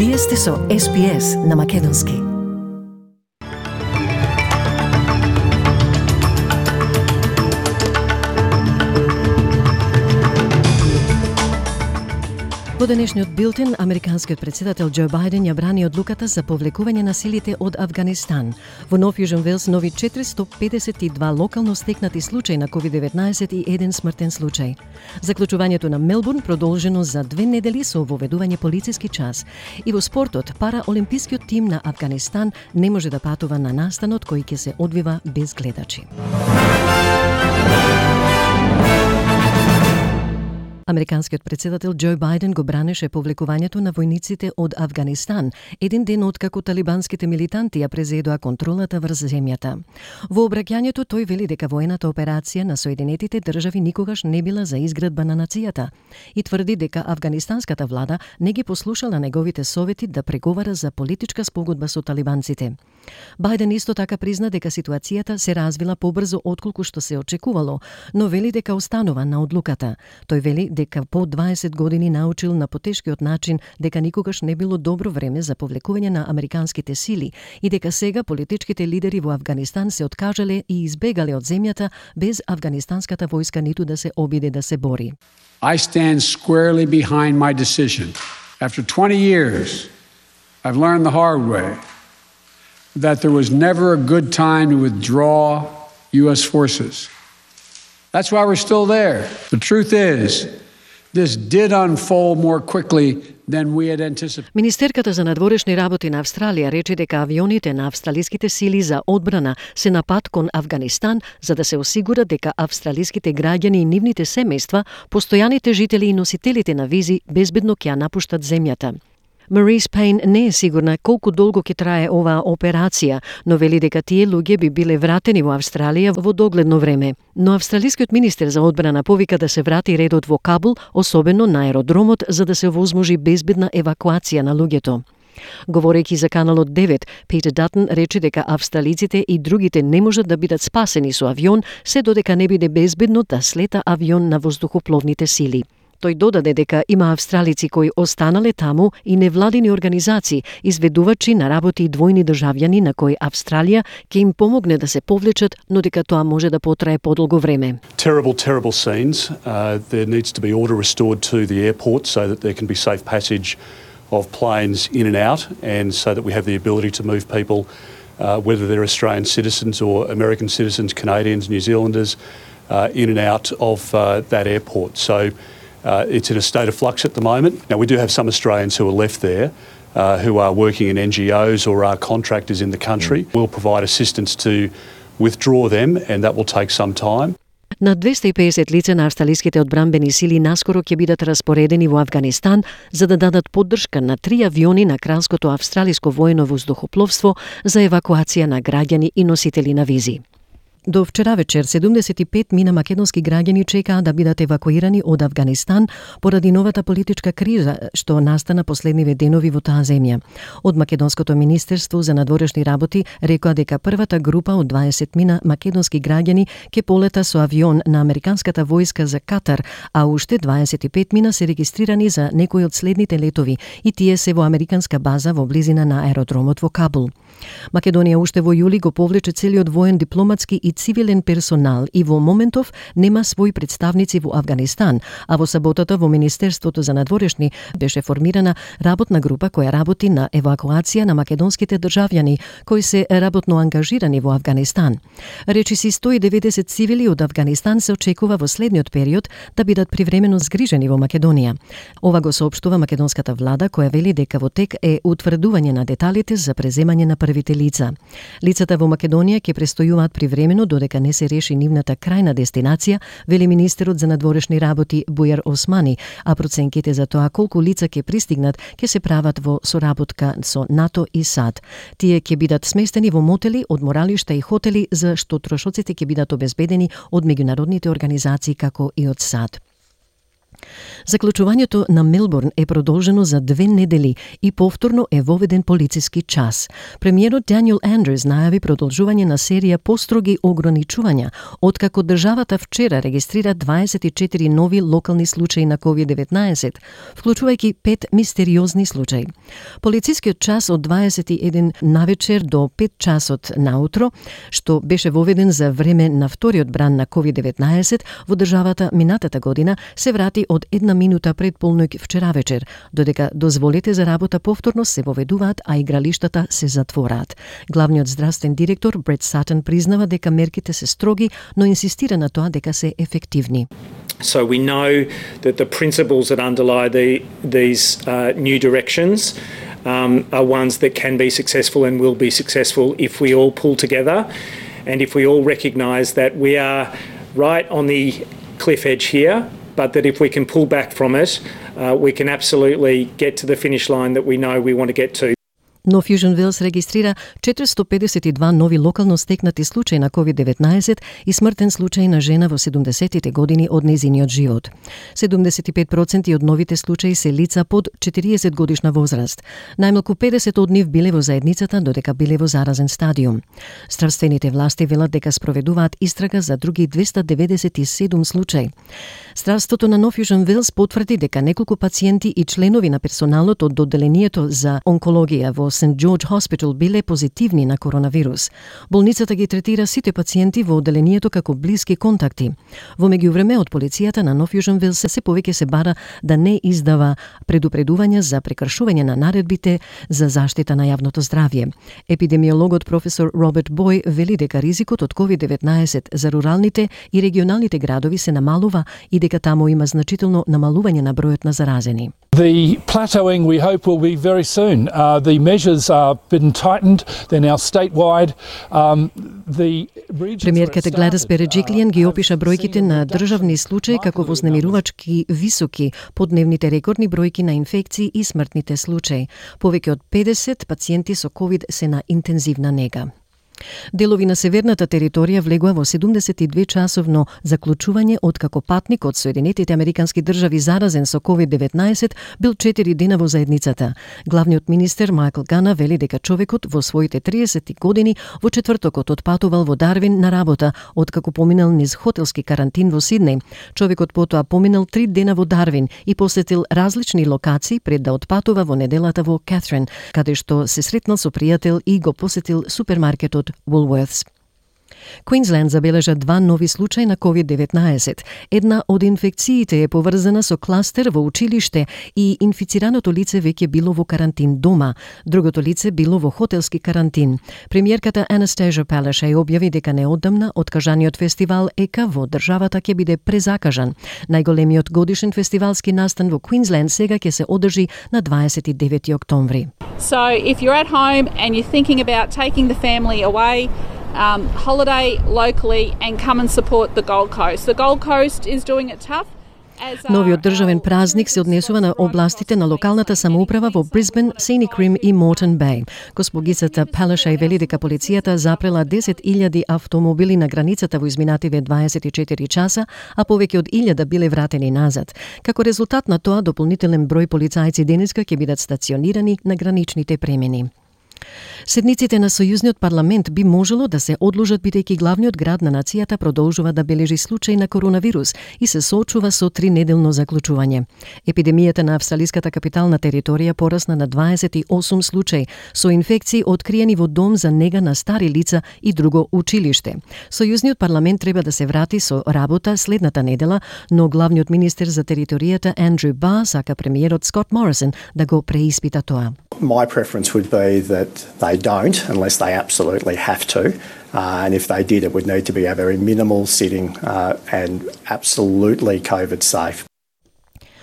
Вие сте со SPS на Македонски. Во денешниот билтен, американскиот председател Џо Бајден ја брани одлуката за повлекување на силите од Авганистан. Во Нов Јужен Велс нови 452 локално стекнати случаи на COVID-19 и еден смртен случај. Заклучувањето на Мелбурн продолжено за 2 недели со воведување полициски час. И во спортот, параолимпискиот тим на Авганистан не може да патува на настанот кој ќе се одвива без гледачи. Американскиот председател Џо Бајден го бранеше повлекувањето на војниците од Авганистан, еден ден откако талибанските милитанти ја презедоа контролата врз земјата. Во обраќањето тој вели дека воената операција на Соединетите држави никогаш не била за изградба на нацијата и тврди дека афганистанската влада не ги послушала неговите совети да преговара за политичка спогодба со талибанците. Бајден исто така призна дека ситуацијата се развила побрзо отколку што се очекувало, но вели дека останува на одлуката. Тој вели дека по 20 години научил на потешкиот начин дека никогаш не било добро време за повлекување на американските сили и дека сега политичките лидери во Авганистан се откажале и избегале од земјата без афганистанската војска ниту да се обиде да се бори. I stand squarely behind my decision. After 20 years, I've learned the hard way that there was never a good time to withdraw U.S. forces. That's why we're still there. The truth is, this did unfold more quickly than we had anticipated. Министерката за надворешни работи на Австралија рече дека авионите на австралиските сили за одбрана се на пат кон Авганистан за да се осигура дека австралиските граѓани и нивните семејства, постојаните жители и носителите на визи безбедно ќе ја напуштат земјата. Марис Пейн не е сигурна колку долго ќе трае оваа операција, но вели дека тие луѓе би биле вратени во Австралија во догледно време. Но австралискиот министер за одбрана повика да се врати редот во Кабул, особено на аеродромот, за да се овозможи безбедна евакуација на луѓето. Говорејќи за Каналот 9, Питер Датон рече дека австралиците и другите не можат да бидат спасени со авион, се додека не биде безбедно да слета авион на воздухопловните сили. Тој додаде дека има австралици кои останале таму и невладини организации, изведувачи на работи и двојни државјани на кои Австралија ќе им помогне да се повлечат, но дека тоа може да потрае подолго време. Terrible scenes. There needs to be order restored to the airport so that there can be safe passage of planes in and out, and so that we have the ability to move people, whether they're Australian citizens or American citizens, Canadians, New Zealanders, in and out of that airport. So it's in a state of flux at the moment. Now, we do have some Australians who are left there, who are working in NGOs or are contractors in the country. We'll provide assistance to withdraw them, and that will take some time. На 250 лица на австралиските одбранбени сили наскоро ќе бидат распоредени во Авганистан за да дадат поддршка на 3 авиони на Кралското австралиско воено воздухопловство за евакуација на граѓани и носители на визи. До вчера вечер 75 мина македонски граѓани чекаа да бидат евакуирани од Авганистан поради новата политичка криза што настана последниве денови во таа земја. Од Македонското министерство за надворешни работи рекоа дека првата група од 20 мина македонски граѓани ќе полета со авион на американската војска за Катар, а уште 25 мина се регистрирани за некои од следните летови и тие се во американска база во близина на аеродромот во Кабул. Македонија уште во јули го повлече целиот воен, дипломатски и цивилен персонал и во моментов нема своји представници во Авганистан, а во саботата во Министерството за надворешни беше формирана работна група која работи на евакуација на македонските државјани кои се работно ангажирани во Авганистан. Речиси 190 цивили од Авганистан се очекува во следниот период да бидат привремено згрижени во Македонија. Ова го соопштува македонската влада која вели дека во тек е утврдување на деталите за преземање на првите лица. Лицата во Македонија ќе престојуваат привремено додека не се реши нивната крајна дестинација, вели министерот за надворешни работи Бујар Османи, а проценките за тоа колку лица ќе пристигнат ќе се прават во соработка со НАТО и САД. Тие ќе бидат сместени во мотели, одморалишта и хотели за што трошоците ќе бидат обезбедени од меѓународните организации како и од САД. Заклучувањето на Мелбурн е продолжено за 2 недели и повторно е воведен полициски час. Премиерот Даниел Андрюс најави продолжување на серија построги ограничувања, откако државата вчера регистрира 24 нови локални случаи на COVID-19, вклучувајќи 5 мистериозни случаи. Полицискиот час од 21 навечер до 5 часот наутро, што беше воведен за време на вториот бран на COVID-19 во државата минатата година, се врати од 1 минута пред полноќ вчера вечер, додека дозволите за работа повторно се воведуваат, а игралиштата се затвораат. Главниот здравствен директор Брет Сатан признава дека мерките се строги, но инсистира на тоа дека се ефективни. So we know that the principles that underlie these new directions are ones that can be successful and will be successful if we all pull together and if we all recognise that we are right on the cliff edge here, but that if we can pull back from it, we can absolutely get to the finish line that we know we want to get to. Но Fusion Wells регистрира 452 нови локално стекнати случаи на COVID-19 и смртен случај на жена во 70-тите години од нејзиниот живот. 75% од новите случаи се лица под 40 годишна возраст. Најмалку 50 од нив биле во заедницата, додека биле во заразен стадиум. Здравствените власти велат дека спроведуваат истрага за други 297 случаи. Здравството на Нов Южен Велс потврди дека неколку пациенти и членови на персоналот од одделението за онкологија во St. George Hospital биле позитивни на коронавирус. Болницата ги третира сите пациенти во одделението како блиски контакти. Во меѓувреме од полицијата на Нов Южен Велс се повеќе се бара да не издава предупредувања за прекршување на наредбите за заштита на јавното здравје. Епидемиологот професор Роберт Бој вели дека ризикот од COVID-19 за руралните и регионалните градови се намалува и дека таму има значително намалување на бројот на заразени. The plateauing we hope will be very soon. The measures are been tightened. They're now statewide. Премиерката Гладис Береджиклијан ги опиша бројките на државни случаи како вознемирувачки високи, подневните рекордни бројки на инфекции и смртните случаи. Повеќе од 50 пациенти со COVID се на интензивна нега. Делови на северната територија влегува во 72 часовно заклучување откако патник од Соединетите Американски држави заразен со COVID-19 бил 4 дена во заедницата. Главниот министер Майкл Гана вели дека човекот во своите 30 години во четвртокот отпатувал во Дарвин на работа откако поминал низ хотелски карантин во Сиднеј. Човекот потоа поминал 3 дена во Дарвин и посетил различни локации пред да отпатува во неделата во Кетрин, каде што се сретнал со пријател и го посетил супермаркетот Woolworths. Квинсленд забележа 2 нови случаи на COVID-19. Една од инфекциите е поврзана со кластер во училиште и инфицираното лице веќе било во карантин дома. Другото лице било во хотелски карантин. Премиерката Анастасија Палашај објави дека неодамна откажаниот фестивал ЕКА во државата ќе биде презакажан. Најголемиот годишен фестивалски настан во Квинсленд сега ќе се одржи на 29 октомври. So if you're at home and you're thinking about taking the family away, holiday locally and come and support the Gold Coast. The Gold Coast is doing it tough. Новиот државен празник се однесува на областите на локалната самоуправа во Брисбен, Scenic Rim и Moreton Bay. Госпогицата Палашај вели дека полицијата запрела 10.000 автомобили на границата во изминативе 24 часа, а повеќе од 1000 биле вратени назад. Како резултат на тоа, дополнителен број полицајци денеска ќе бидат стационирани на граничните премини. Седниците на Сојузниот парламент би можело да се одложат бидејќи главниот град на нацијата продолжува да бележи случај на коронавирус и се соочува со 3-неделно заклучување. Епидемијата на австралиската капитална територија порасна на 28 случаи со инфекции откриени во дом за нега на стари лица и друго училиште. Сојузниот парламент треба да се врати со работа следната недела, но главниот министер за територијата Андрю Барр сака премиерот Скот Морисон да го преиспита тоа. My preference would be that they don't unless they absolutely have to. And if they did, it would need to be a very minimal sitting and absolutely COVID safe.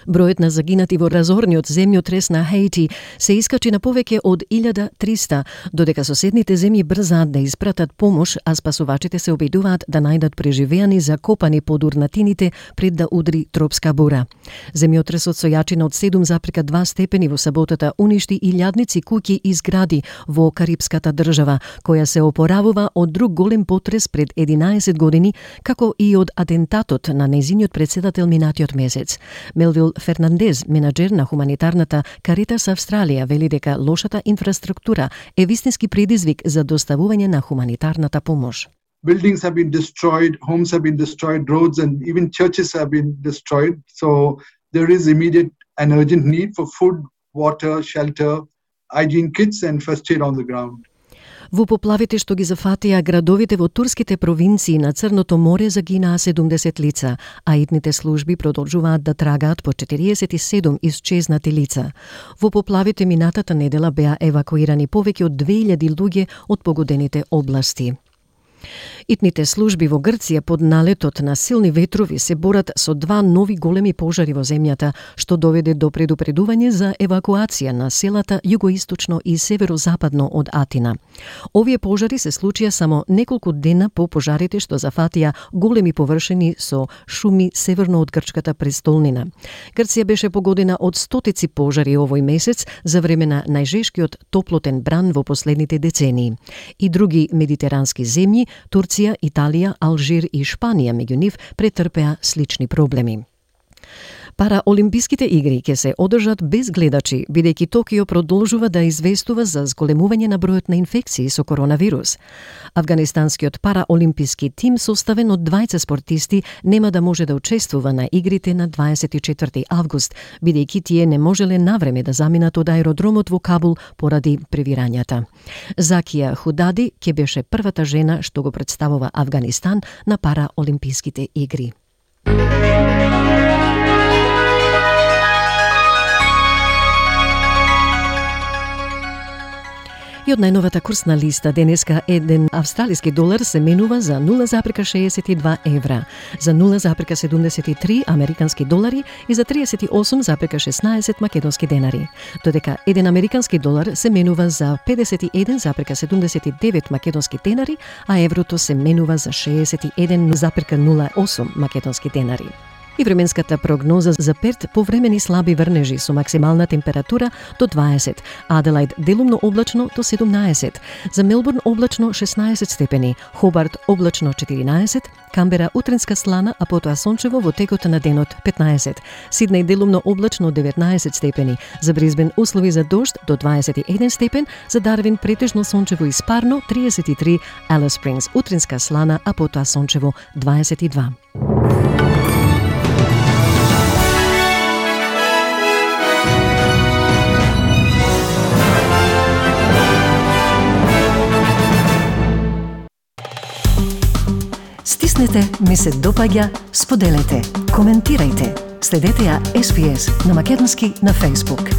Бројот на загинати во разорниот земјотрес на Хаити се искачи на повеќе од 1300, додека соседните земји брзаат да испратат помош, а спасувачите се обидуваат да најдат преживеани закопани под урнатините пред да удри тропска бура. Земјотресот со јачина од 7,2 степени во саботата уништи илјадници куќи и згради во Карипската држава, која се опоравува од друг голем потрес пред 11 години, како и од атентатот на нејзиниот председател минатиот месец. Мелвил Фернандез, менаџер на хуманитарната Каритас Австралија, вели дека лошата инфраструктура е вистински предизвик за доставување на хуманитарната помош. Buildings have been destroyed, homes have been destroyed, roads and even churches have been destroyed. So there is immediate and urgent need for food, water, shelter, hygiene kits and first aid on the ground. Во поплавите што ги зафатија градовите во турските провинции на Црното море загинаа 70 лица, а итните служби продолжуваат да трагаат по 47 исчезнати лица. Во поплавите минатата недела беа евакуирани повеќе од 2000 луѓе од погодените области. Итните служби во Грција под налетот на силни ветрови се борат со 2 нови големи пожари во земјата, што доведе до предупредување за евакуација на селата југоисточно и северозападно од Атина. Овие пожари се случија само неколку дена по пожарите што зафатија големи површини со шуми северно од грчката престолнина. Грција беше погодена од стотици пожари овој месец за време на најжешкиот топлотен бран во последните децении. И други медитерански земји, Турција, Италија, Алжир и Шпанија меѓу нив претрпеа слични проблеми. Параолимписките игри ќе се одржат без гледачи, бидејќи Токио продолжува да известува за зголемување на бројот на инфекции со коронавирус. Афганистанскиот параолимписки тим, составен од 20 спортисти, нема да може да учествува на игрите на 24 август, бидејќи тие не можеле навреме да заминат од аеродромот во Кабул поради превирањата. Закија Худади ќе беше првата жена што го представува Афганистан на параолимписките игри. И од најновата курсна листа денеска еден австралиски долар се менува за 0,62 евра, за 0,73 американски долари и за 38,16 македонски денари, додека еден американски долар се менува за 51,79 македонски денари, а еврото се менува за 61,08 македонски денари. И временската прогноза за Перт повремени слаби врнежи со максимална температура до 20, Аделајд делумно облачно до 17, за Мелбурн облачно 16 степени, Хобарт облачно 14, Камбера утринска слана, а потоа сончево во текот на денот 15, Сиднеј делумно облачно 19 степени, за Брисбен услови за дожд до 21 степен, за Дарвин претежно сончево и спарно 33, Алис Спрингс утринска слана, а потоа сончево 22. Стиснете, ми се допаѓа, споделете, коментирајте. Следете ја SPS на македонски на Facebook.